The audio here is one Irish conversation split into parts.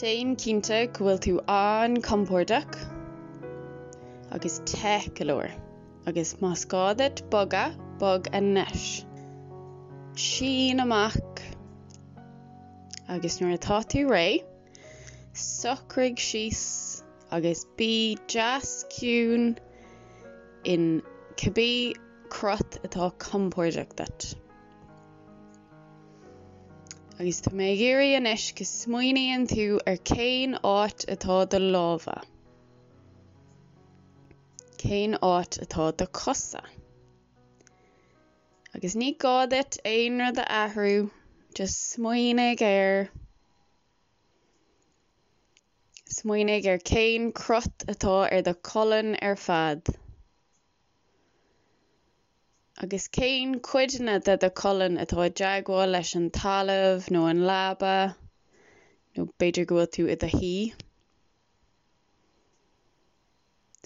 Déan cinnte go bhfuil tú an-compordach agus te go leor, agus más gá duit bogadh, bog anois. Sín amach agus nuair atá tú réidh, socraigh síos agus bí deas ciúin in cibé crot atá compordach duit. Agus tá mé ag iarraidh anois go smaoiníonn tú ar cén áit atá do lámha. Cén áit atá do chosa. Agus ní gá duit aon rud a athrú, just smaoinigh air. Smaoinigh ar cén crot atá ar do cholainn ar fad. Agus cén cuideanna de do cholainn atá i dteagmháil leis an talamh nó an leaba, nó b'fhéidir go bhfuil tú i do shuí?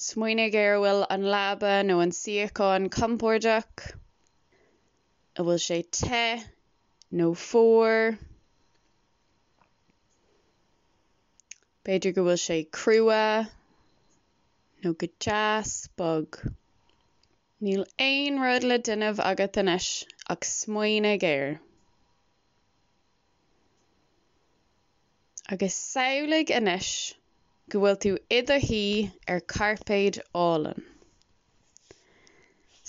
Smaoinigh ar an bhfuil an leaba nó an suíochán compordach, an bhfuil sé te nó fuar? B'fhéidir go bhfuil sé crua nó go deas bog. Níl aon rud le déanamh agat anois ach smaoinigh air. Agus samhlaigh anois go bhfuil tú i do shuí ar chairpéad álainn.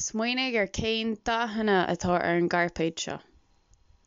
Smaoinigh ar cén dathanna atá ar an gcairpéad seo.